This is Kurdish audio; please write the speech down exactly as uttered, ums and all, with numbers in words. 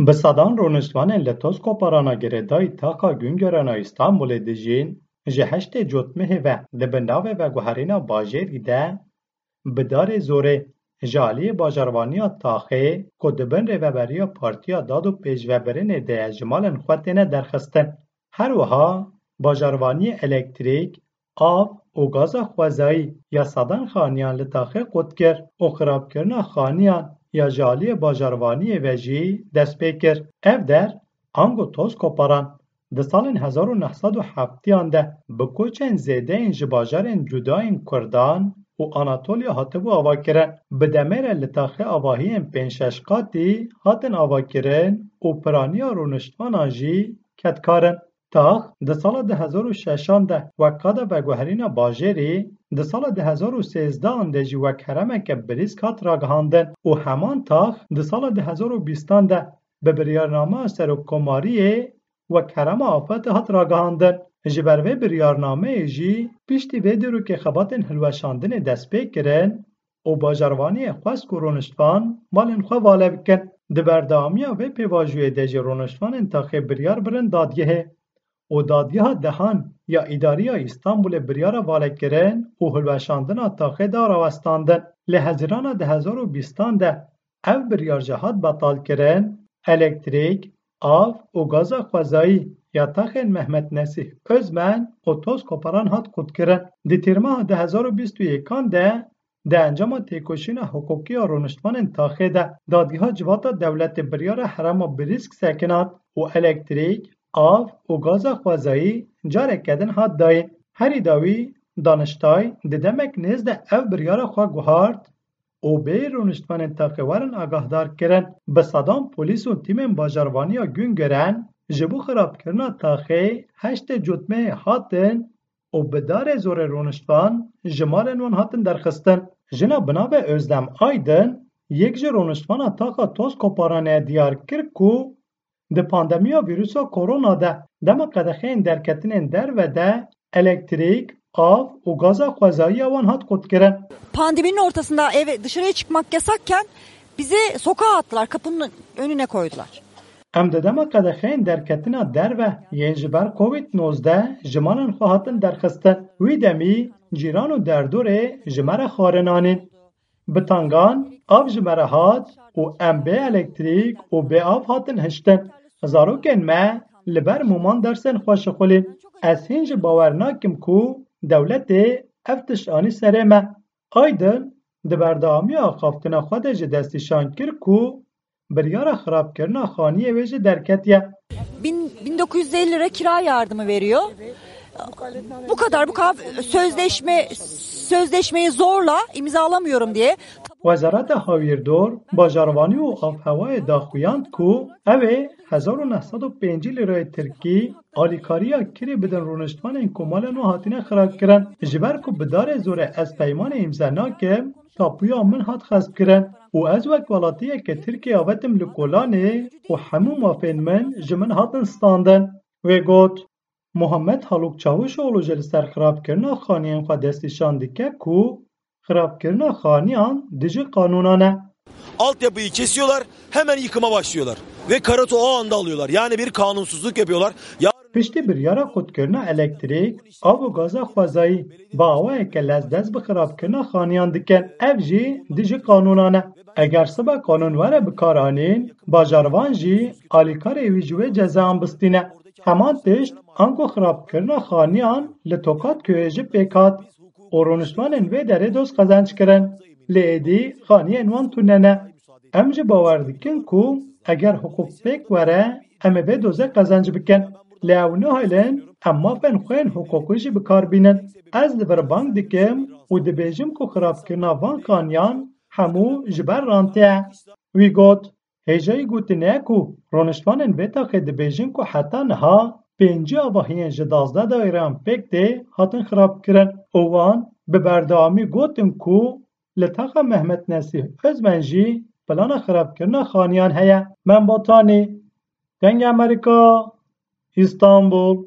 Bi sedan rûniştvanên li Tozkoparana girêdayî taxa Güngören a Îstanbulê dijîn, ji heştê Cotmehê ve di bin navê veguherîna bajêrî de bi darê zorê ji aliyê bajarvaniya taxê ku di bin rêveberiya Partiya Dad û Pêşvebirinê de ye ji malên xwe têne derxistin. Her wiha bajarvaniyê elektrîk, av û gaza xwezayî ya sedan xaniyan li taxê qut kir û xirabkirina xaniyan ya ji aliyê bajarvaniyê ve jî dest pê kir. Ev der, ango Tozkoparan, di salên hezar û neh sed û heftiyan de bi koçên zêdeyên ji bajarên cuda yên Kurdan û Anatoliya hatibû avakirin. Bi demê re li taxê avahiyên pênc şeş qatî hatin avakirin û piraniya rûniştvanan jî kedkar in. Tax di sala du hezar û şeşan de wek qada veguherîna bajêrî, di sala du hezar û sêzdehan de jî wek heremeke birîsk hat ragihandin û heman tax di sala du hezar û bîstan de bi biryarnameya Serokkomariyê wek herema afetê hat ragihandin. Ji ber vê biryarnameyê jî piştî vê dîrokê xebatên hilweşandinê dest pê kirin û bajarvaniyê xwest ku rûniştvan malên xwe vale bikin. Di berdewamiya vê pêvajoyê de jî rûniştvanên taxê biryar birin dadgehê û dadgeha dehan ya îdarî ya Îstanbulê biryara valekirin û hilweşandina taxê da rawestandin. Lê Hezîrana du hezar û bîstan de ev biryar jî hat betalkirin, elektrîk, av û gaza xwezayî ya taxên Mehmet Nesîh Ozmen û Tozkoparan hat qutkirin. Di Tîrmeha du hezar û bîst û yekan de di encama têkoşîna hiqûqî ya rûniştvanên taxê de, Dadgeha Civata Dewletê biryara herema birîsk sekinand û elektrîk, av û gaza xwezayî careke din hat dayîn. Herî dawî Daniştay di demek nêz de ev biryara xwe guhart û bê rûniştvanên taxê werin agahdar kirin. Bi sedan polîs û tîmên bajarvaniya Güngören ji bo xirabkirina taxê heştê Cotmehê hatin û bi darê zorê rûniştvan ji malên wan hatin derxistin. Jina bi navê Özlem Aydın, yek ji rûniştvana taxa Tozkoparanê diyar kir ku di pandemiya vîrusa korona de dema qedexeyên derketinên derve de elektrîk, av û gaza xwezayî ya wan hat qutkirin. Pandeminin ortasında eve, dışarıya çıkmak yasakken bizi sokağa attılar, kapının önüne koydular. Em di dema qedexeyên derketina derve yên ji ber Covid nozdeh ji malên xwe hatin derxistin. Wî demî cîran û derdorê ji me re xwarin anîn. Bi tangan av ji me re hat û em bê elektrîk û bê av hatin hiştin. Zarokên me li ber mûman dersên xwe şixulîn. Ez hîn jî bawer nakim ku dewletê ev tişt anî serê me. Aydın di berdewamiya axaftina xwe de jî destnîşan kir ku biryara xirabkirina xaniyê wê jî derketiye. Bin, bin dokuz yüz elli lira kira yardımı veriyor. Bu kadar, bu kadar sözleşme sözleşmeyi zorla imzalamıyorum diye. Wezareta Hawîrdor, Bajarvanî û Avhewayê daxuyand ku ew ê hezar û neh sed û pêncî lîrayê tirkî alîkariya kirê bidin rûniştvanên ku malên wan hatine xirabkirin. Ji ber ku bi darê zorê ez peymanê îmze nakim, tapuya min hat xespkirin û ez wek welatiyeke Tirkiyê avetim li kolanê û hemû mafên min ji min hatin standin. Wê got, Muhammed Haluk Çavuşoğlu jî li ser xirabkirina xaniyên xwe destnîşan dike ku xirabkirina xaniyan dijî qanûnan e. Altyapıyı kesiyorlar, hemen yıkıma başlıyorlar. Ve Karat'ı o anda alıyorlar. Yani bir kanunsuzluk yapıyorlar. Ya Piştî biryara qutkirina elektrîk, av û gaza xwezayî bi awayeke lez dest bi xirabkirina xaniyan dikin. Ev jî dijî qanûnan e. Eger sibe qanûn were bikaranîn, bajarvan jî alîkarê wî ji wê cezan bistîne. Heman tişt ango xirabkirina xaniyan li Tokatköyê jî pêk hat û rûniştvanên vê derê doz qezenc kirin. Lê êdî xaniyên wan tune ne. Em jî bawer dikin ku eger hiqûq pêk were, em ê vê dozê qezenc bikin. Lê ew nahêlin em mafên xwe yên hiqûqî jî bi kar bînin. Ez li vir bang dikim û dibêjim ku xirabkirina van xaniyan hemû ji ber rantê ye. Wî got, Hêjayî gotinê ye ku rûniştvanên vê taxê dibêjin ku heta niha pêncî avahiyên ji duwazdeh daîreyan pêk tê hatin xirabkirin û wan bi berdewamî gotin ku li taxa Mehmet Nesîh Ozmen jî plana xirabkirina xaniyan heye. Mem Batanî, Dengê Amerîka, Îstanbul.